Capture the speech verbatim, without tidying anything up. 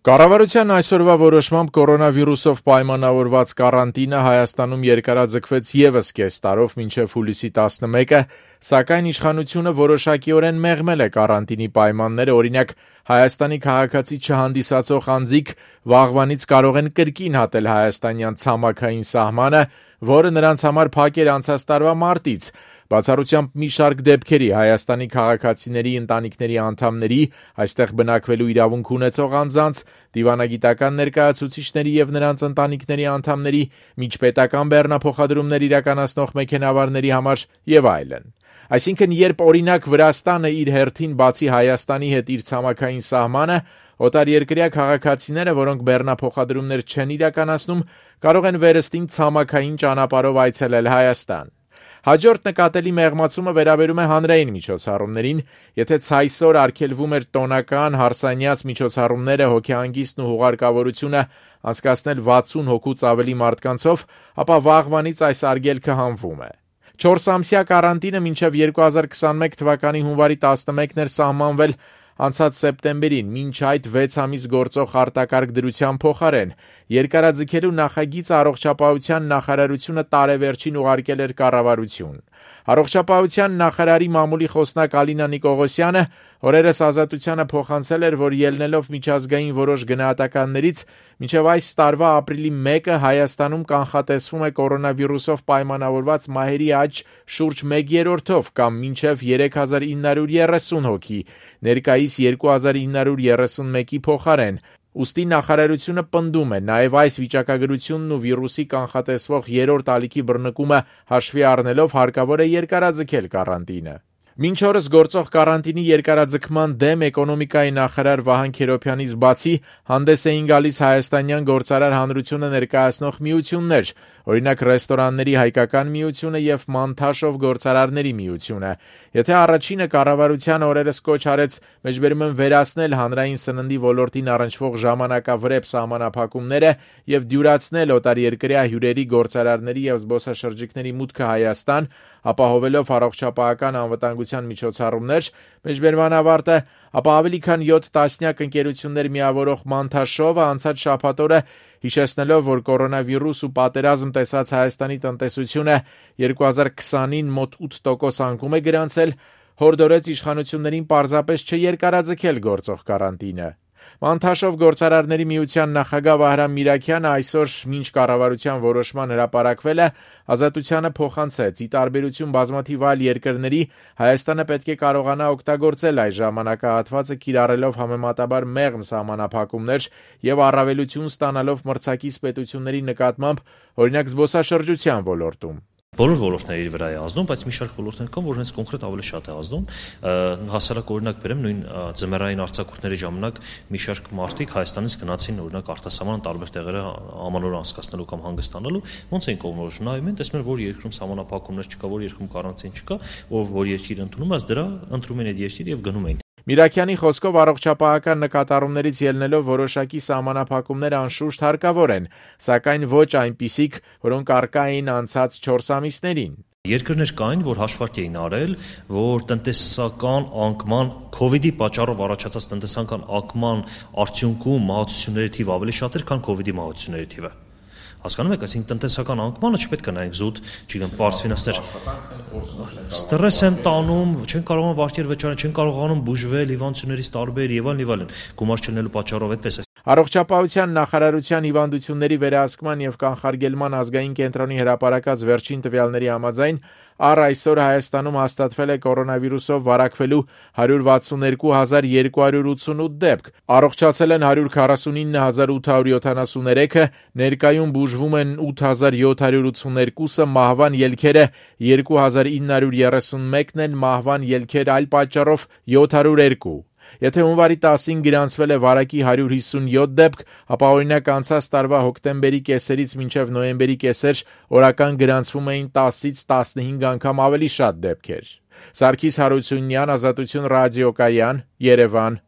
Կառավարության այսօրվա որոշմամբ կորոնավիրուսով պայմանավորված կարանտինը Հայաստանում երկարաձգվեց ևս կես տարով մինչև հուլիսի տասնմեկը, սակայն իշխանությունը որոշակիորեն մեղմել է կարանտինի պայմանները, օրինակ Հայաստանի քաղաքացի չհանդիսացող անձիկ վաղվանից կարող են կրկին հատել հայաստանյան ցամաքային սահմանը, որը նրանց համար փակ էր անցած տարվա մարտից, բացառությամբ մի շարք դեպքերի Հայաստանի քաղաքացիների ընտանիքների անդամների, այստեղ բնակվելու իրավունք ունեցող անձանց, դիվանագիտական ներկայացուցիչների եւ նրանց ընտանիքների անդամների, միջպետական բեռնափոխադրումներ իրականացնող մեքենավարների համար եւ այլն։ Այսինքն, երբ օրինակ Վրաստանը իր հերթին բացի Հայաստանի հետ իր ցամաքային սահմանը, օտարերկրյա քաղաքացիները, որոնք բեռնափոխադրումներ չեն իրականացնում, կարող են վերստին ցամաքային ճանապարհով այցելել Հայաստան։ Հաջորդ նկատելի մեղմացումը վերաբերում է հանրային միջոցառումներին, եթե ցայսօր արգելվում էր տոնական հարսանյաց միջոցառումները, հոգեհանգիստն ու հուղարկավորությունը անցկացնել վաթսուն հոգուց ավելի մարդկանցով, ապա վաղվանից այս արգելքը հանվում է։ Չորսամսյա կարանտինը մինչև երկու հազար քսանմեկ թվականի հունվարի տասնմեկն էր սահմանվել անցած սեպտեմբերին, մինչ այդ վեց ամիս գործող արտակարգ դրության փոխարեն, երկարաձգելու նախագիծը առողջապահության նախարարությունը տարեվերջին ուղարկել էր կառավարություն։ Առողջապահության նախարարի մամուլի խոսնակ Ալինա Նիկողոսյանը օրերս Ազատությանը փոխանցել էր, որ ելնելով միջազգային որոշ գնահատականներից, մինչև այս տարվա ապրիլի մեկը Հայաստանում կանխատեսվում է կորոնավիրուսով պայմանավորված մահերի աճ շուրջ մեկ երրորդով կամ մինչև երեք հազար ինը հարյուր երեսուն հոգի, ներկայիս երկու հազար ինը հարյուր երեսունմեկի փոխարեն։ Ուստի նախարարությունը պնդում է, նաև այս վիճակագրությունն ու վիրուսի կանխատեսվող երրորդ ալիքի բռնկումը հաշվի առնելով հարկավոր է երկարաձգել կարանտինը։ Մինչ օրս գործող կարանտինի երկարաձգման դեմ էկոնոմիկայի նախարար Վահան Քերոբյանից բացի հանդես էին գալիս հայաստանյան գործարար հանրությունը ներկայացնող միություններ, օրինակ ռեստորանների հայկական միությունը եւ Մանթաշով գործարարների միությունը։ Եթե առաջինը կառավարության օրերս կոչ արեց մեջբերում են վերացնել հանրային սննդի ոլորտին առնչվող ժամանակավրեպ սահմանափակումները եւ դյուրացնել օտարերկրյա հյուրերի, գործարարների եւ զբոսաշրջիկների մուտքը Հայաստան, ապահովելով առողջապահական անվտանգության միջոցառումներ, մեջբերման ավարտը, ապա ավելի քան յոթ տասնյակ ընկերություններ միավորող Մանթաշովը անցած շաբաթ օրը հիշեցնելով, որ կորոնավիրուս ու պատերազմ տեսած Հայաստանի տնտեսությունը երկու հազար քսանին մոտ ութ տոկոս անկում է գրանցել, հորդորեց իշխանություններին պարզապես չերկարաձգել գործող կարանտինը։ Մանթաշով գործարարների միության նախագահ Վահրամ Միրաքյանը այսօր մինչ կառավարության որոշման հրապարակվելը Ազատությանը փոխանցեց՝ ի տարբերություն բազմաթիվ այլ երկրների, Հայաստանը պետք է կարողանա օգտագործել այս ժամանակահատվածը կիրառելով համեմատաբար մեղմ սահմանափակումներ եւ առավելություն ստանալով մրցակից պետությունների նկատմամբ, օրինակ զբոսաշրջության ոլորտում։ Բոլոր ոլորտների վրա է ազդում, բայց մի շարք ոլորտներ կան, որ հենց կոնկրետ ավելի շատ է ազդում։ Հասարակ օրինակ բերեմ, նույն ձմեռային արձակուրդների ժամանակ մի շարք մարդիկ Հայաստանից գնացին օրինակ արտասահման տարբեր տեղերը ամանոր անցկացնելու կամ հանգստանալու, ոնց էին կողմնորոշ նայում են, տեսնում են, որ երկրում սահմանափակումներ չկա, որ երկրում կարանտին չկա, ով որ երկիր ընդունում է, դրա ընտրում են այդ երկիր եւ գնում են։ Միրաքյանի խոսքով առողջապահական նկատառումներից ելնելով որոշակի սահմանափակումներ անշուշտ հարկավոր են, սակայն ոչ այնպիսիք, որոնք առկա էին անցած չորս ամիսներին։ Երկրներ կային, որ հաշվարկ էին արել, որ տնտեսական անկման COVID-ի պատճառով առաջացած տնտեսական անկման արդյունքում մահացությունների թիվը ավելի շատ էր, քան COVID-ի մահացությունների թիվը։ Հասկանում եք, այսինքն տնտեսական անկմանը չպետք է նայենք զուտ, չգիտեմ, պարզ ֆինանսներ։ Ստրես են տանում, չեն կարողանում վարկեր վճարել, չեն կարողանում բուժվել հիվանդություններից տարբեր եւ այլն եւ այլն։ Գումար չլինելու պատճառով այդպես է։ Առողջապահության նախարարության հիվանդությունների վերահսկման եւ կանխարգելման ազգային կենտրոնի հրապարակած վերջին տվյալների համաձայն առ այսօր Հայաստանում հաստատվել է կորոնավիրուսով վարակվելու հարյուր վաթսուններկու հազար երկու հարյուր ութսունութ դեպք, առողջացել են հարյուր քառասունինը հազար ութ հարյուր յոթանասունցրեքը, ներկայում բուժվում են ութ հազար յոթ հարյուր ութսուներկուսը, մահվան ելքերը երկու հազար ինը հարյուր երեսունմեկն են, մահվան ելքեր այլ պատճառով յոթ հարյուր երկու։ Եթե հունվարի տասին գրանցվել է վարակի հարյուր հիսունյոթ դեպք, ապա օրինակ անցած տարվա հոկտեմբերի կեսերից մինչև նոյեմբերի կեսեր օրական գրանցվում էին տասից տասնհինգ անգամ ավելի շատ դեպքեր։ Սարգիս Հարությունյան, Ազատություն ռադիոկայան, Երևան։